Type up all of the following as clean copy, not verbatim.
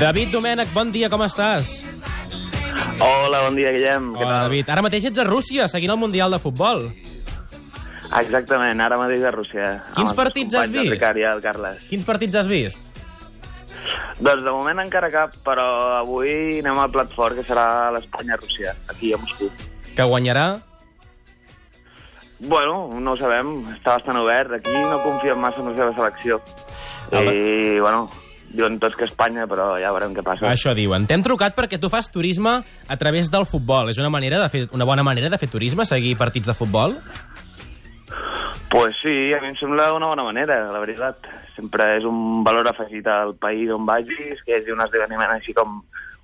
David Domènech, bon dia, com estàs? Hola, bon dia, Guillem. Hola, David. Ara mateix ets a Rússia, seguint el Mundial de Futbol. Exactament, ara mateix a Rússia. Quins partits has vist? El Ricard i el Carles. Quins partits has vist? Doncs de moment encara cap, però avui anem al plat fort, que serà l'Espanya-Rússia, aquí a Moscou. Que guanyarà? Bueno, no ho sabem, està bastant obert. Aquí no confiem massa en la seva selecció. I, bueno, diuen tots que Espanya, però ja veurem què passa. Això diuen. T'hem trucat perquè tu fas turisme a través del futbol. És una bona manera de fer turisme, seguir partits de futbol? Pues sí, a mi em sembla una bona manera, la veritat. Sempre és un valor afegit al país on vagis, que és un esdeveniment així com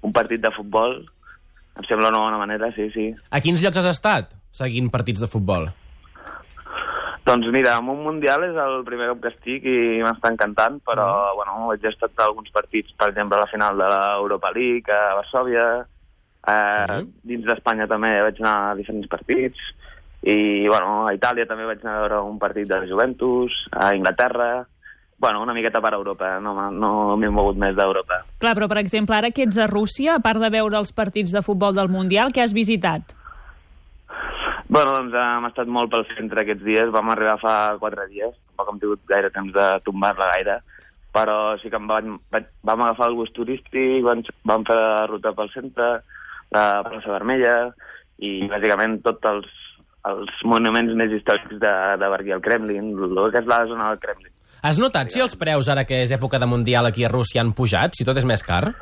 un partit de futbol. Em sembla una bona manera, sí, sí. A quins llocs has estat seguint partits de futbol? Doncs mira, en un Mundial és el primer cop que estic i m'està encantant, però bueno, he estat a alguns partits, per exemple, a la final de l'Europa League, a Varsòvia, dins d'Espanya també vaig anar a diferents partits, i bueno, a Itàlia també vaig anar a veure un partit de Juventus, a Inglaterra, bueno, una miqueta per Europa, no m'he mogut més d'Europa. Clar, però per exemple, ara que ets a Rússia, a part de veure els partits de futbol del Mundial, què has visitat? Bueno, doncs hem estat molt pel centre aquests dies, vam arribar fa 4 dies, tampoc hem tingut gaire temps de tombar-la gaire, però sí que vam agafar el bus turístic, vam fer la ruta pel centre, la plaça Vermella, i bàsicament tots els monuments més històrics de Berguí, el Kremlin, el que és la zona del Kremlin. Has notat si els preus, ara que és època de Mundial aquí a Rússia, han pujat, si tot és més car?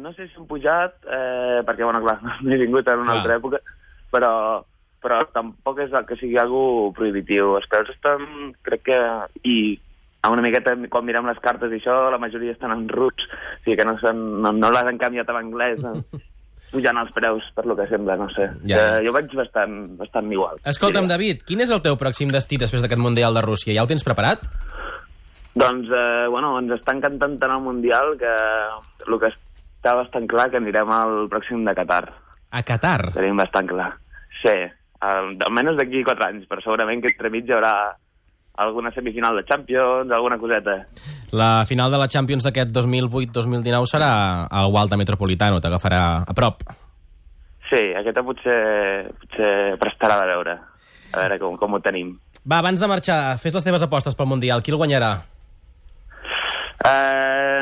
No sé si han pujat, perquè, bueno, clar, no he vingut en una altra època, però tampoc és que sigui algo prohibitiu. Els preus estan, crec que... I una miqueta, quan mirem les cartes i això, la majoria estan en rus, o sigui que no les han canviat a l'anglès, pujant els preus, per lo que sembla, no sé. Jo vaig bastant igual. Escolta'm, David, quin és el teu pròxim destí després d'aquest Mundial de Rússia? Ja ho tens preparat? Doncs, bueno, ens està encantant tant el Mundial que el que està bastant clar que anirem al pròxim de Qatar. A Qatar? Tenim bastant clar. Sí, almenys d'aquí 4 anys, però segurament que entremig hi haurà alguna semifinal de Champions, alguna coseta. La final de la Champions d'aquest 2008-2019 serà al Wanda Metropolitano, t'agafarà a prop. Sí, aquesta potser prestarà de veure. A veure com ho tenim. Va, abans de marxar, fes les teves apostes pel Mundial. Qui el guanyarà?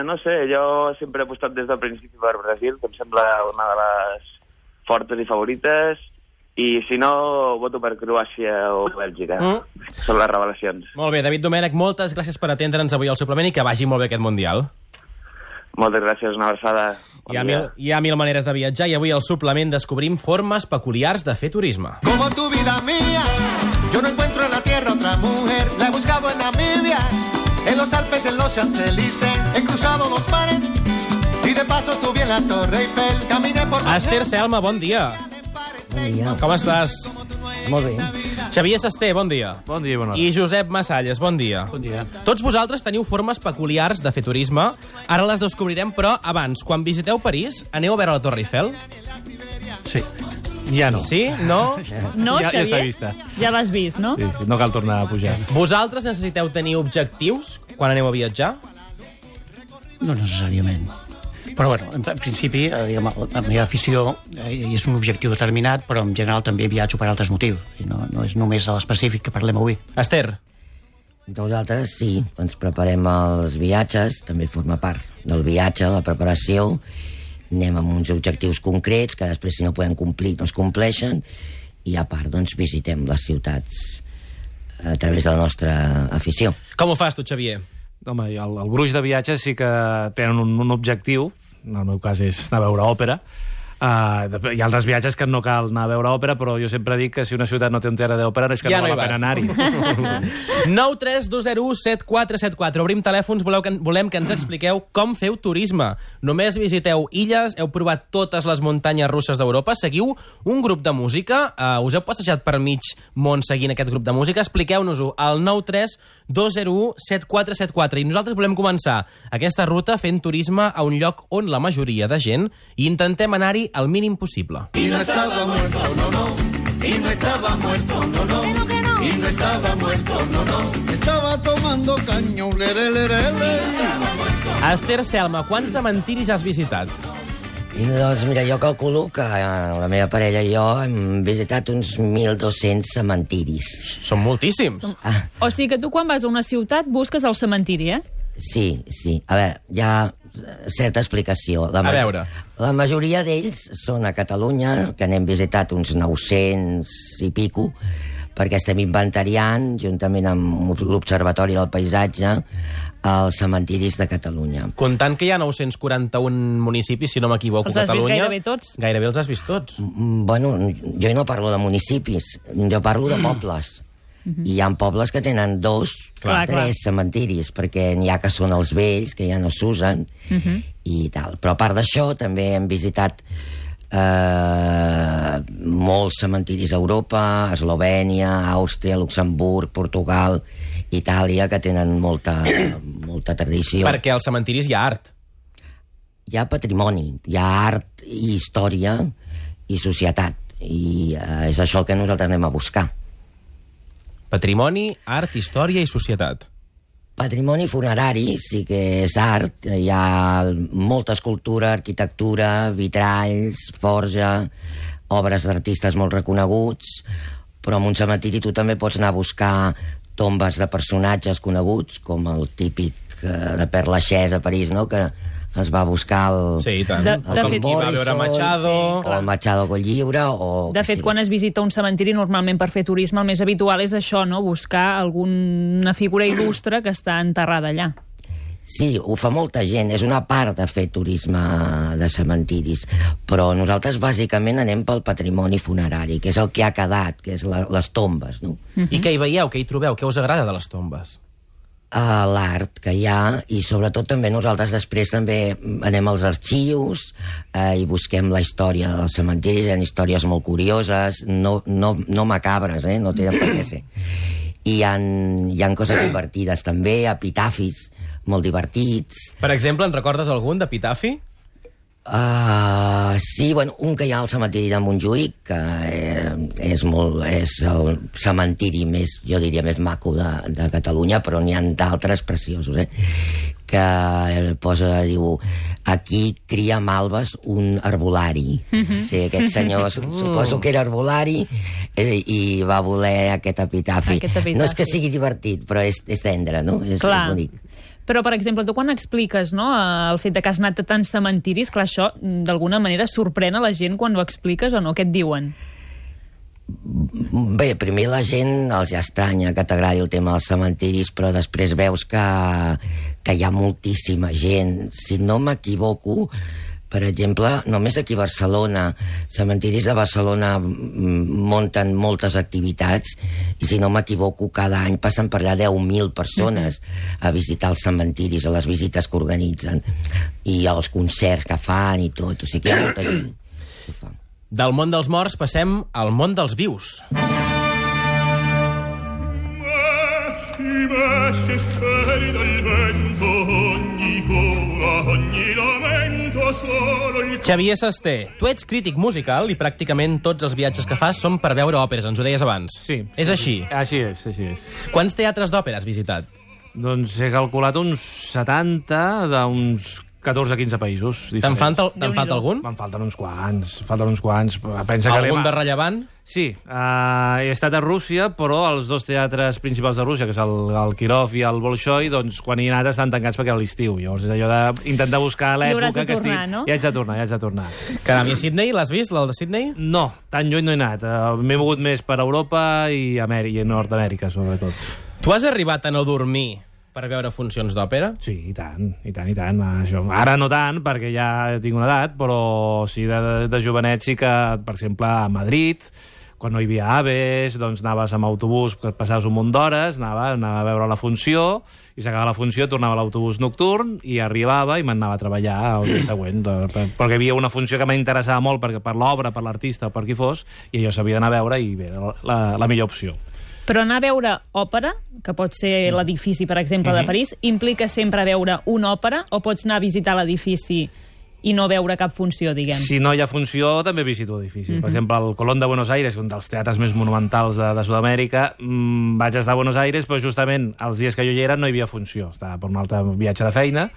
No sé, jo sempre he apostat des del principi per Brasil, que em sembla una de les fortes i favorites, i si no, voto per Croàcia o Bèlgica. Són les revelacions. Molt bé, David Domènech, moltes gràcies per atendre'ns avui al suplement i que vagi molt bé aquest Mundial. Moltes gràcies, una abraçada. Hi ha mil maneres de viatjar i avui al suplement descobrim formes peculiars de fer turisme. Como tu vida mía, yo no encuentro en la tierra otra mujer, la he buscado en Namibia, en los Alpes, en los Champs-Élysées, he cruzado los mares y de paso subí en la Torre Eiffel, caminé por... Esther Selma, bon dia. Bon dia. Com estàs? Molt bé. Xavier Sasté, bon dia. Bon dia, bona hora. I Josep Massalles, bon dia. Bon dia. Tots vosaltres teniu formes peculiars de fer turisme. Ara les descobrirem, però abans, quan visiteu París, aneu a veure la Torre Eiffel? Sí. Ja no. Sí? No? No, Ja Xavier? està vista. Ja l'has vist, no? Sí, no cal tornar a pujar. Vosaltres necessiteu tenir objectius quan aneu a viatjar? No necessàriament. Però, bueno, en principi, diguem, la meva afició és un objectiu determinat, però en general també viatjo per altres motius. No és només l'específic que parlem avui. Esther? Nosaltres sí, ens preparem els viatges, també forma part del viatge, la preparació, anem amb uns objectius concrets que després si no podem complir no es compleixen i a part doncs visitem les ciutats a través de la nostra afició. Com ho fas tu, Xavier? Home, el gruix de viatges sí que tenen un objectiu, en el meu cas és anar a veure òpera. Hi ha altres viatges que no cal anar a veure òpera, però jo sempre dic que si una ciutat no té un teatre d'òpera és que Ja no no val la hi pena vas. anar-hi. 9 3 2 0 7 4 7 4. Obrim telèfons, volem que ens expliqueu com feu turisme. Només visiteu illes, heu provat totes les muntanyes russes d'Europa, seguiu un grup de música, us heu passejat per mig món seguint aquest grup de música, expliqueu-nos-ho al 9 3 2 0 7 4 7 4. I nosaltres volem començar aquesta ruta fent turisme a un lloc on la majoria de gent i intentem anar-hi demanar-li el mínim possible. Y no estaba muerto, no, no. Y no estaba muerto, no, no. Y no estaba muerto, no, no. Estaba tomando caño, Esther Selma, quants cementiris has visitat? Doncs mira, jo calculo que la meva parella i jo hem visitat uns 1.200 cementiris. Són moltíssims. O sigui que tu quan vas a una ciutat busques el cementiri, eh? Sí, sí. A veure, hi ha certa explicació. A veure. La majoria d'ells són a Catalunya, que n'hem visitat uns 900 i pico, perquè estem inventariant, juntament amb l'Observatori del Paisatge, els cementiris de Catalunya. Comptant que hi ha 941 municipis, si no m'equivoco, Els has vist Catalunya... gairebé tots? Gairebé els has vist tots. Bueno, jo no parlo de municipis, jo parlo de pobles. I hi ha pobles que tenen 2, Clar, 3 cementiris, perquè n'hi ha que són els vells, que ja no s'usen, i tal. Però a part d'això, també hem visitat molts cementiris a Europa, Eslovènia, Àustria, Luxemburg, Portugal, Itàlia, que tenen molta tradició. Perquè als cementiris hi ha art. Hi ha patrimoni, hi ha art i història i societat, i és això el que nosaltres anem a buscar. Patrimoni, art, història i societat. Patrimoni funerari sí que és art, hi ha molta escultura, arquitectura, vitralls, forja, obres d'artistes molt reconeguts, però en un cementiri tu també pots anar a buscar tombes de personatges coneguts, com el típic de Père Lachaise a París, no?, que es va buscar el... Sí, i tant. De El fet, qui va veure Machado... o el Machado Collliure, o... De fet, quan es visita un cementiri, normalment per fer turisme, el més habitual és això, no?, buscar alguna figura il·lustre que està enterrada allà. Sí, ho fa molta gent, és una part de fer turisme de cementiris, però nosaltres bàsicament anem pel patrimoni funerari, que és el que ha quedat, que és les tombes, no? I què hi veieu, què hi trobeu, què us agrada de les tombes? L'art que hi ha, i sobretot també nosaltres després també anem als arxius i busquem la història dels cementiris. Hi ha històries molt curioses, no macabres, no tenen per què ser. I hi ha coses divertides també, epitafis molt divertits. Per exemple, en recordes algun d'epitafi? Sí, bueno, un que hi ha al cementiri de Montjuïc, que és el cementiri més, jo diria, més maco de Catalunya, però n'hi ha d'altres preciosos, que diu, aquí cria malves un arbolari. Sí, aquest senyor suposo que era arbolari i va voler aquest epitafi. No és que sigui divertit, però és tendre, no? És bonic. Però, per exemple, tu quan expliques, no, el fet de que has anat a tants cementiris, clar, això d'alguna manera sorprèn a la gent quan ho expliques o no? Què et diuen? Bé, primer la gent els ja estranya que t'agradi el tema dels cementiris, però després veus que hi ha moltíssima gent. Si no m'equivoco, per exemple, només aquí a Barcelona, cementiris de Barcelona munten moltes activitats i, si no m'equivoco, cada any passen per allà 10.000 persones a visitar els cementiris, a les visites que organitzen, i els concerts que fan i tot. O sigui que hi ha molta gent que ho fa. Del món dels morts passem al món dels vius. Xavier Sasté, tu ets crític musical i pràcticament tots els viatges que fas són per veure òperes, ens ho deies abans. Sí. És així? Així és, així és. Quants teatres d'òpera has visitat? Doncs he calculat uns 70 d'uns 14 o 15 països diferents. Te'n falta algun? Me'n falten uns quants. Pensa que algun de rellevant? Sí, he estat a Rússia, però els dos teatres principals de Rússia, que és el Kirov i el Bolshoi, doncs quan hi he anat estan tancats perquè era l'estiu. Llavors és allò d'intentar buscar l'època que estic... no? I haig de tornar. Caram, i a Sydney l'has vist, el de Sydney? No, tan lluny no he anat. M'he mogut més per Europa i Nord-Amèrica, sobretot. Tu has arribat a no dormir per veure funcions d'òpera? Sí, i tant. Això. Ara no tant, perquè ja tinc una edat, però sí, de jovenet sí que, per exemple, a Madrid, quan no hi havia AVEs, doncs anaves amb autobús, que passaves un munt d'hores, anava a veure la funció, i s'acabava la funció, tornava a l'autobús nocturn, i arribava i m'anava a treballar el dia següent, perquè hi havia una funció que m'interessava molt per l'obra, per l'artista o per qui fos, i allò s'havia d'anar a veure, i bé, la millor opció. Però anar a veure òpera, que pot ser l'edifici, per exemple, de París, implica sempre veure una òpera, o pots anar a visitar l'edifici i no veure cap funció, diguem. Si no hi ha funció, també visito edificis. Per exemple, el Colón de Buenos Aires, un dels teatres més monumentals de Sud-amèrica, vaig estar a Buenos Aires, però justament els dies que jo hi era no hi havia funció. Estava per un altre viatge de feina,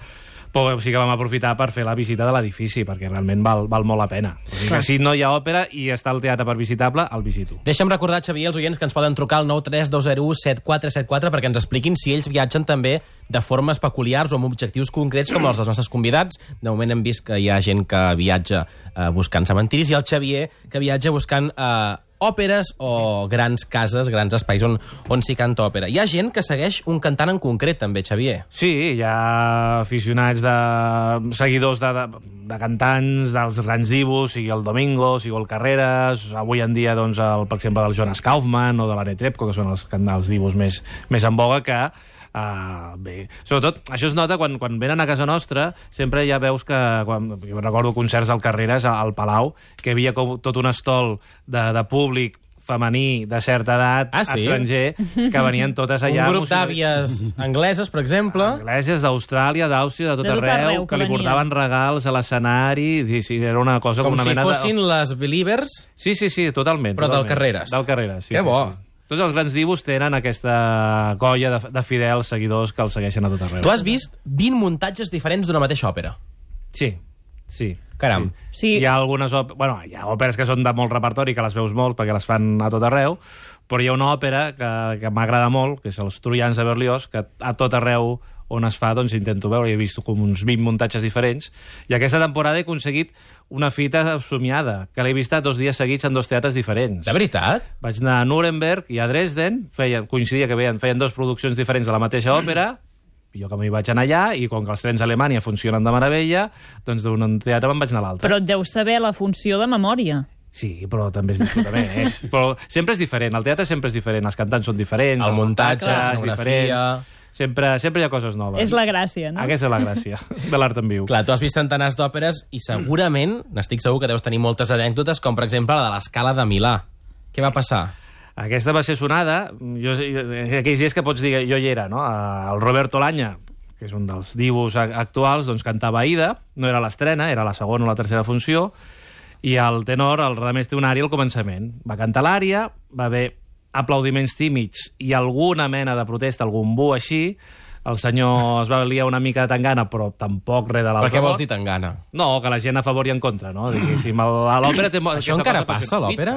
però sí que vam aprofitar per fer la visita de l'edifici, perquè realment val molt la pena. O sigui que si no hi ha òpera i està el teatre per visitable, el visito. Deixa'm recordar, Xavier, als oients que ens poden trucar al 932017474 perquè ens expliquin si ells viatgen també de formes peculiars o amb objectius concrets com els dels nostres convidats. De moment hem vist que hi ha gent que viatja buscant cementiris i el Xavier que viatja buscant òperes o grans cases, grans espais on s'hi canta òpera. Hi ha gent que segueix un cantant en concret, també, Xavier. Sí, hi ha aficionats seguidors de cantants, dels grans divos, sigui el Domingo, sigui el Carreras, avui en dia, doncs, per exemple, del Jonas Kaufmann o de l'Anne Trepko, que són els divos més en voga, que bé, sobretot això es nota quan venen a casa nostra, sempre ja veus que jo recordo concerts al Carreras al Palau, que hi havia com tot un estol de públic femení de certa edat, estranger, que venien totes allà. Un grup d'àvies angleses, per exemple. Angleses d'Austràlia, d'Àustria, de tot arreu, que li portaven regals a l'escenari. Sí, era una cosa com una mena de... Com si fossin les Believers. Sí, totalment. Però del Carreras. Del Carreras, sí. Que bo. Tots els grans divos tenen aquesta colla de fidels seguidors que els segueixen a tot arreu. Tu has vist 20 muntatges diferents d'una mateixa òpera. Sí. Caram. Sí. Hi ha algunes hi ha òperes que són de molt repertori, que les veus molt perquè les fan a tot arreu, però hi ha una òpera que m'agrada molt, que és els Troians de Berlioz, que a tot arreu on es fa, doncs intento veure. He vist com uns 20 muntatges diferents, i aquesta temporada he aconseguit una fita somiada, que l'he vista 2 dies seguits en 2 teatres diferents. De veritat? Vaig anar a Nuremberg i a Dresden, coincidia que feien 2 produccions diferents de la mateixa òpera, jo que m'hi vaig anar allà, i com que els trens a Alemanya funcionen de meravella, doncs d'un teatre me'n vaig anar a l'altre. Però et deus saber la funció de memòria. Sí, però també és disfrutar però sempre és diferent, el teatre sempre és diferent, els cantants són diferents, el muntatge, la escenografia... Sempre hi ha coses noves. És la gràcia, no? Aquesta és la gràcia de l'art en viu. Clar, tu has vist centenars d'òperes i segurament, n'estic segur que deus tenir moltes anècdotes, com per exemple la de l'Escala de Milà. Què va passar? Aquesta va ser sonada, aquells dies que pots dir, jo hi era, no? El Roberto Laña, que és un dels divos actuals, doncs cantava Aida, no era l'estrena, era la segona o la tercera funció, i el tenor, el Radamés té un ària al començament. Va cantar l'ària, va haver aplaudiments tímids i alguna mena de protesta, algun bu així. El senyor es va liar una mica de tangana, però tampoc res de l'altre. Per què vols dir tangana? No, que la gent a favor i en contra, no? Diguéssim, a l'òpera té... Això encara passa, a l'òpera?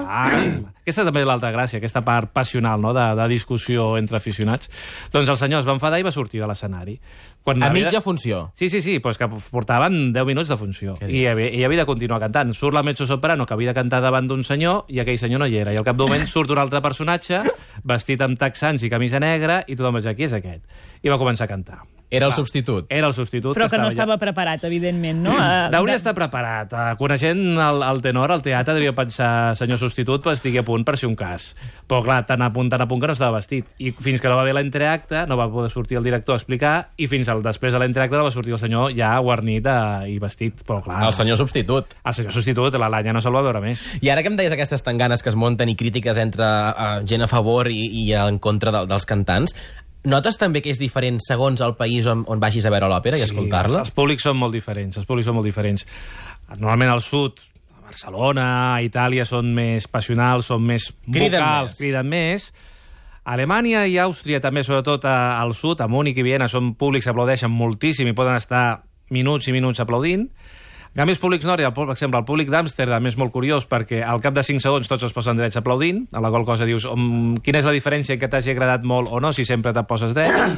Aquesta també és l'altra gràcia, aquesta part passional, no?, de discussió entre aficionats. Doncs el senyor es va enfadar i va sortir de l'escenari. A mitja funció? Sí, però és que portaven 10 minuts de funció. I havia de continuar cantant. Surt la mezzosoprano, que havia de cantar davant d'un senyor, i aquell senyor no hi era. I al cap d'un moment surt un altre personatge, vestit amb texans i camisa negra, i tothom va dir, qui és aquest? I va començar a cantar. Era el substitut. Era el substitut. Però que no estava preparat, evidentment, no? Hauria d'estar preparat. Coneixent el tenor, el teatre, devia pensar, senyor substitut, pues estigui a punt per si un cas. Però clar, tan a punt que no estava vestit. I fins que no va haver l'entreacte, no va poder sortir el director a explicar, i fins després de l'entreacte no va sortir el senyor ja guarnit i vestit. Però clar... El senyor substitut. El senyor substitut, la Laña no se'l va veure més. I ara que em deies aquestes tanganes que es munten i crítiques entre gent a favor i en contra dels cantants, notes també que és diferent segons el país on vagis a veure l'òpera i escoltar-la? Els públics són molt diferents, Normalment al sud, a Barcelona, a Itàlia, són més passionals, són més vocals, criden més. A Alemanya i Àustria, també, sobretot al sud, a Múnich i Viena, són públics que aplaudeixen moltíssim i poden estar minuts i minuts aplaudint. En canvi, els públics nòrdics, per exemple, el públic d'Amsterdam és molt curiós perquè al cap de 5 segons tots es posen drets aplaudint, a la qual cosa dius quina és la diferència que t'hagi agradat molt o no si sempre te poses dret.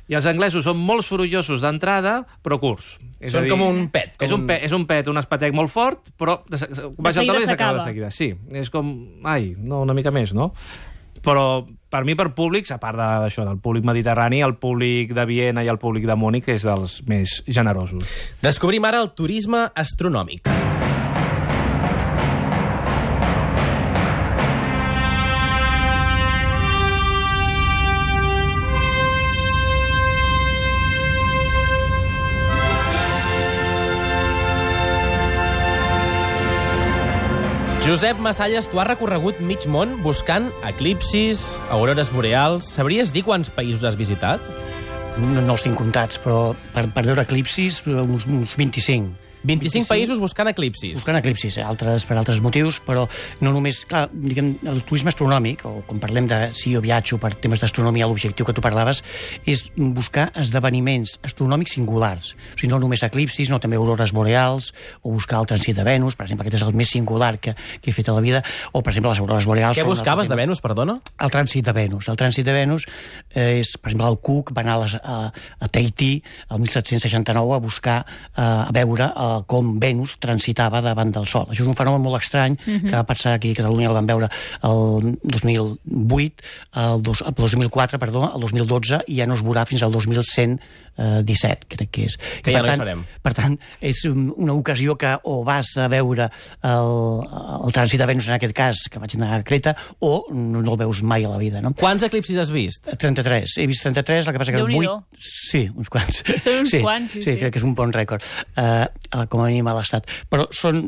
I els anglesos són molt sorollosos d'entrada, però curts. Són com un pet. És un pet, un espatec molt fort, però baix al taló i s'acaba de seguida. Sí, és com, una mica més, no? Però per mi, per públics, a part d'això, del públic mediterrani, el públic de Viena i el públic de Múnich és dels més generosos. Descobrim ara el turisme astronòmic. Josep Massalles, tu has recorregut mig món buscant eclipsis, aurores boreals. Sabries dir quants països has visitat? No els tinc comptats, però per veure eclipsis uns 25. 25 països buscant eclipsis. Buscant eclipsis, per altres motius, però no només... Clar, diguem, el turisme astronòmic, o quan parlem de si jo viatjo per temes d'astronomia, l'objectiu que tu parlaves, és buscar esdeveniments astronòmics singulars. O sigui, no només eclipsis, no també aurores boreals, o buscar el trànsit de Venus, per exemple, aquest és el més singular que he fet a la vida, o, per exemple, les aurores boreals... Què buscaves de Venus, perdona? El trànsit de Venus. El trànsit de Venus és, per exemple, el Cook va anar a Tahití el 1769 a buscar, a veure com Venus transitava davant del Sol. Això és un fenomen molt estrany que va passar aquí a Catalunya, el van veure el 2008, el 2004, perdó, el 2012, i ja no es veurà fins al 2117, crec que és. Que ja no hi serem. Per tant, és una ocasió que o vas a veure el trànsit de Venus, en aquest cas, que vaig anar a Creta, o no el veus mai a la vida, no? Quants eclipsis has vist? 33. He vist 33, el que passa que 8... Sí, uns quants. Són uns quants, sí. Crec que és un bon rècord. Com a mínim a l'estat. Però són...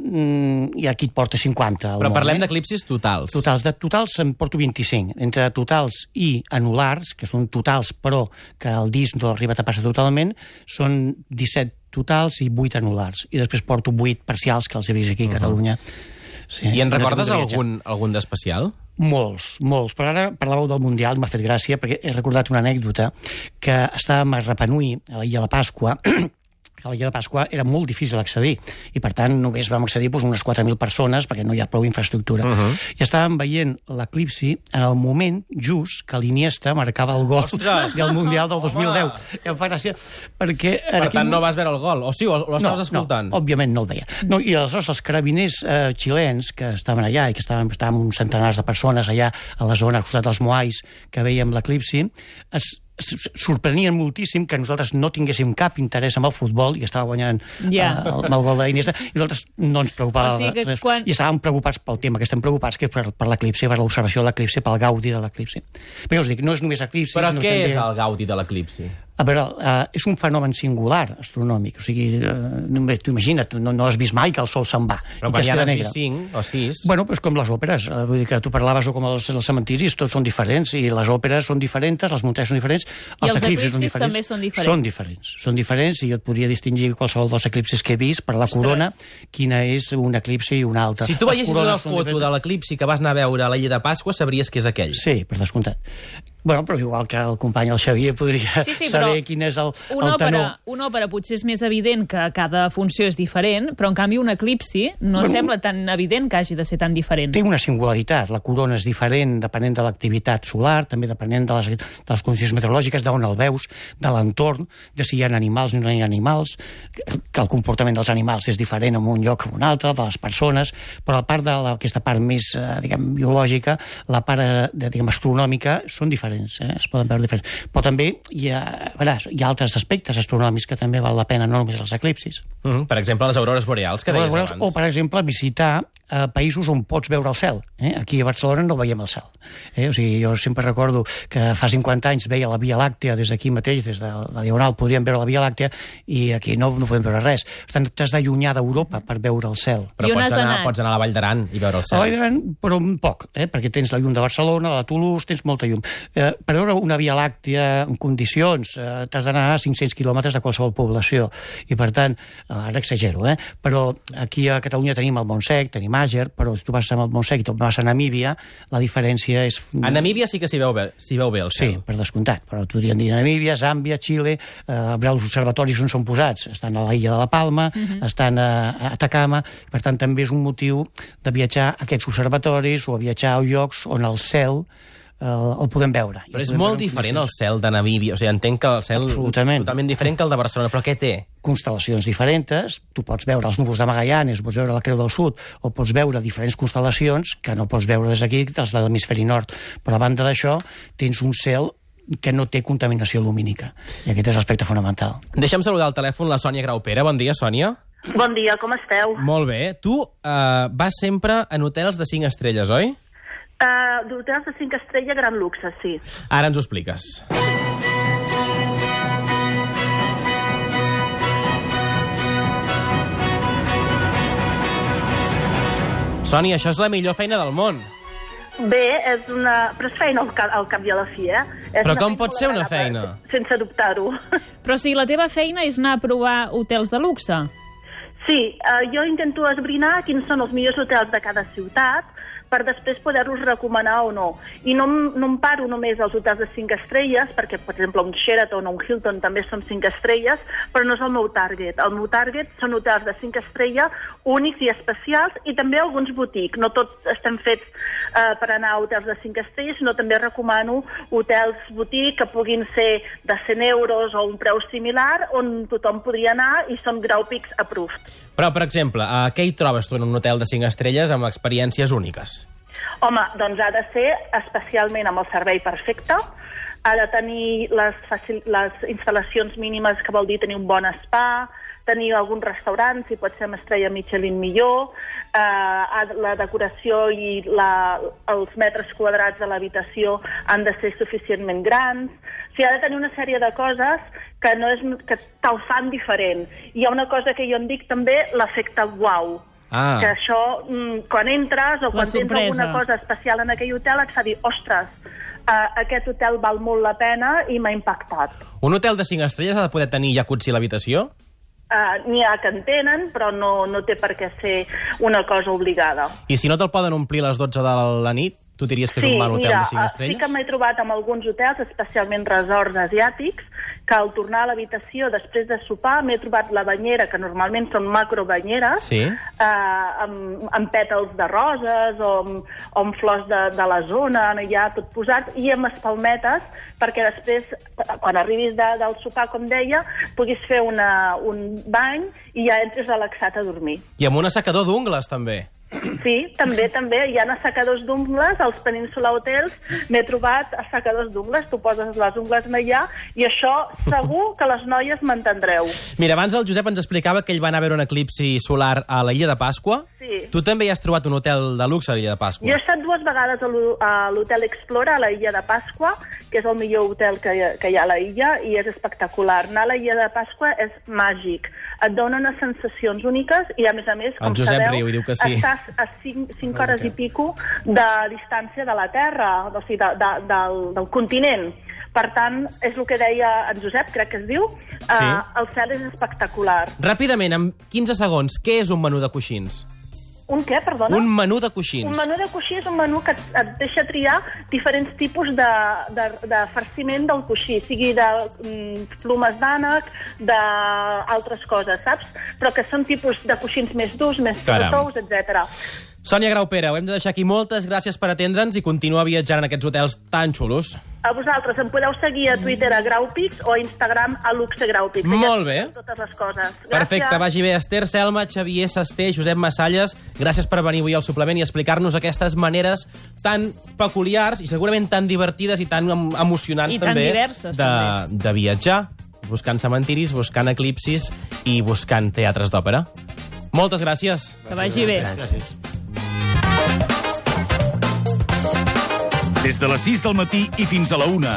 Hi ha qui et porta 50 al Però món, parlem d'eclipsis totals. De totals en porto 25. Entre totals i anulars, que són totals però que el disc no arriba a tapar-se totalment, són 17 totals i 8 anulars. I després porto 8 parcials que els he vist aquí a Catalunya. Sí. I en recordes algun d'especial? Molts. Però ara parlàveu del Mundial, m'ha fet gràcia, perquè he recordat una anècdota que estàvem a Rapa Nui, a l'illa de Pasqua, que a l'illa de Pasqua era molt difícil accedir, i per tant només vam accedir unes 4.000 persones, perquè no hi ha prou infraestructura. I estàvem veient l'eclipsi en el moment just que l'Iniesta marcava el gol del Mundial del 2010. Em fa gràcia, perquè... Per tant, no vas veure el gol, o sí, o l'estaves escoltant? No, òbviament no el veia. No, i aleshores els carabiners xilens que estaven allà, i que estàvem uns centenars de persones allà a la zona, al costat dels Moais, que veiem l'eclipsi, sorprenien moltíssim que nosaltres no tinguéssim cap interès en el futbol i estava guanyant amb el gol d'Iniesta, i nosaltres no ens preocupava res. I estàvem preocupats pel tema que estem preocupats, que és per l'eclipsi, per l'observació de l'eclipsi, pel gaudi de l'eclipsi. Però jo us dic, no és només eclipsi... Però què és el gaudi de l'eclipsi? A veure, és un fenomen singular astronòmic, o sigui, tu imagina't, no has vist mai que el sol se'n va. Però per ja n'has vist 5 o 6. Bueno, però és com les òperes, vull dir que tu parlaves com els cementiris, tots són diferents, i les òperes són diferents, les muntanyes són diferents, els eclipsis també són diferents. Són diferents, i jo et podria distingir qualsevol dels eclipsis que he vist per la corona, quina és un eclipsi i una altra. Si tu veiessis una foto de l'eclipsi que vas anar a veure a l'illa de Pasqua, sabries que és aquell. Sí, per descomptat. Bueno, però igual que el company, el Xavier, podria saber quin és el tenor. Una òpera potser és més evident que cada funció és diferent, però en canvi un eclipsi no sembla tan evident que hagi de ser tan diferent. Té una singularitat. La corona és diferent depenent de l'activitat solar, també depenent de les condicions meteorològiques, d'on el veus, de l'entorn, de si hi ha animals o no hi ha animals, que el comportament dels animals és diferent en un lloc o en un altre, de les persones, però a part d'aquesta part més, biològica, la part, astronòmica, són diferents. Es poden veure diferents. Però també hi ha altres aspectes astronòmics que també val la pena, no només els eclipsis. Per exemple, les aurores boreals, que deies abans. O, per exemple, visitar països on pots veure el cel. Aquí a Barcelona no veiem el cel. O sigui, jo sempre recordo que fa 50 anys veia la Via Làctea des d'aquí mateix, des de la Diagonal, podríem veure la Via Làctea, i aquí no podem veure res. Per tant, t'has d'allunyar d'Europa per veure el cel. Però pots anar a la Vall d'Aran i veure el cel. A la Vall d'Aran, però poc, perquè tens la llum de Barcelona, la de Toulouse, tens molta llum. Per veure una Via Làctea en condicions t'has d'anar a 500 quilòmetres de qualsevol població, i per tant, ara exagero, però aquí a Catalunya tenim el Montsec, tenim Àger, però si tu vas al Montsec i tu vas a Namíbia, la diferència és... A Namíbia sí que s'hi veu bé el cel. Sí, per descomptat, però podríem dir Namíbia, Zàmbia, Xile, els observatoris on són posats, estan a l'illa de la Palma, estan a Atacama, per tant també és un motiu de viatjar a aquests observatoris o a viatjar a llocs on el cel el podem veure. Però és molt diferent el cel de Namíbia. O sigui, entenc que el cel és totalment diferent que el de Barcelona. Però què té? Constel·lacions diferents. Tu pots veure els núvols de Magallanes, pots veure la Creu del Sud, o pots veure diferents constel·lacions que no pots veure des d'aquí, dels de l'hemisferi nord. Però a banda d'això, tens un cel que no té contaminació lumínica. I aquest és l'aspecte fonamental. Deixa'm saludar al telèfon la Sònia Graupera. Bon dia, Sònia. Bon dia, com esteu? Molt bé. Tu vas sempre en hotels de 5 estrelles, oi? D'hotels de 5 estrelles, gran luxe, sí. Ara ens ho expliques. Sònia, això és la millor feina del món. Bé, però és feina al cap i a la fi, Però com pot ser una feina? Sense dubtar-ho. Però si la teva feina és anar a provar hotels de luxe. Sí, jo intento esbrinar quins són els millors hotels de cada ciutat per després poder-los recomanar o no. I no em paro només als hotels de 5 estrelles, perquè, per exemple, un Sheraton o un Hilton també són 5 estrelles, però no és el meu target. El meu target són hotels de 5 estrelles, únics i especials, i també alguns boutiques. No tots estem fets per anar a hotels de 5 estrelles, sinó també recomano hotels boutique que puguin ser de 100 euros o un preu similar, on tothom podria anar i són Graupix approved. Però, per exemple, què hi trobes tu en un hotel de 5 estrelles amb experiències úniques? Home, doncs ha de ser especialment amb el servei perfecte, ha de tenir les instal·lacions mínimes, que vol dir tenir un bon spa, tenir algun restaurant, si pot ser amb estrella Michelin millor, la decoració i els metres quadrats de l'habitació han de ser suficientment grans. O sigui, ha de tenir una sèrie de coses que te'l fan diferent. Hi ha una cosa que jo en dic també, l'efecte uau. Que això, quan entres o quan tens alguna cosa especial en aquell hotel, et fa dir, ostres, aquest hotel val molt la pena i m'ha impactat. Un hotel de 5 estrelles ha de poder tenir jacuzzi a l'habitació? N'hi ha que en tenen, però no té per què ser una cosa obligada. I si no te'l poden omplir a les 12 de la nit, tu diries que és un mal hotel de 5 estrelles? Sí que m'he trobat amb alguns hotels, especialment resorts asiàtics, que al tornar a l'habitació després de sopar m'he trobat la banyera, que normalment són macrobanyeres, amb pètals de roses o amb flors de la zona, ja tot posat, i amb espalmetes, perquè després, quan arribis del sopar, com deia, puguis fer un bany i ja entres relaxat a dormir. I amb un assecador d'ungles, també. Sí, també. Hi ha assecadors d'ungles, als Peninsula Hotels m'he trobat assecadors d'ungles, tu poses les ungles allà i això segur que les noies m'entendreu. Mira, abans el Josep ens explicava que ell va anar a veure un eclipsi solar a l'illa de Pasqua. Sí. Tu també hi has trobat un hotel de luxe a l'illa de Pasqua. Jo he estat 2 vegades a l'Hotel Explora, a la illa de Pasqua, que és el millor hotel que hi ha a la illa, i és espectacular. Anar a la illa de Pasqua és màgic. Et dona unes sensacions úniques i, a més, com sabeu, riu, diu que sí. Estàs a 5 hores i pico de distància de la Terra, o sigui, del continent. Per tant, és el que deia en Josep, crec que es diu, el cel és espectacular. Ràpidament, en 15 segons, què és un menú de coixins? Un què, perdona? Un menú de coixins. Un menú de coixí és un menú que et deixa triar diferents tipus de farciment del coixí, sigui de plomes d'ànec, d'altres coses, saps? Però que són tipus de coixins més durs, més tous, etc. Sònia Graupera, ho hem de deixar aquí. Moltes gràcies per atendre'ns i continua viatjant en aquests hotels tan xulos. A vosaltres. Em podeu seguir a Twitter a Graupix o a Instagram a luxegraupix. Molt bé. Totes les coses. Gràcies. Perfecte, vagi bé. Esther Selma, Xavier Sasté, Josep Massalles, gràcies per venir avui al suplement i explicar-nos aquestes maneres tan peculiars i segurament tan divertides i tan emocionants I tan diverses, de viatjar, buscant cementiris, buscant eclipsis i buscant teatres d'òpera. Moltes gràcies. Que vagi bé. Gràcies. Des de les 6 del matí i fins a la 1,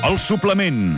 El Suplement.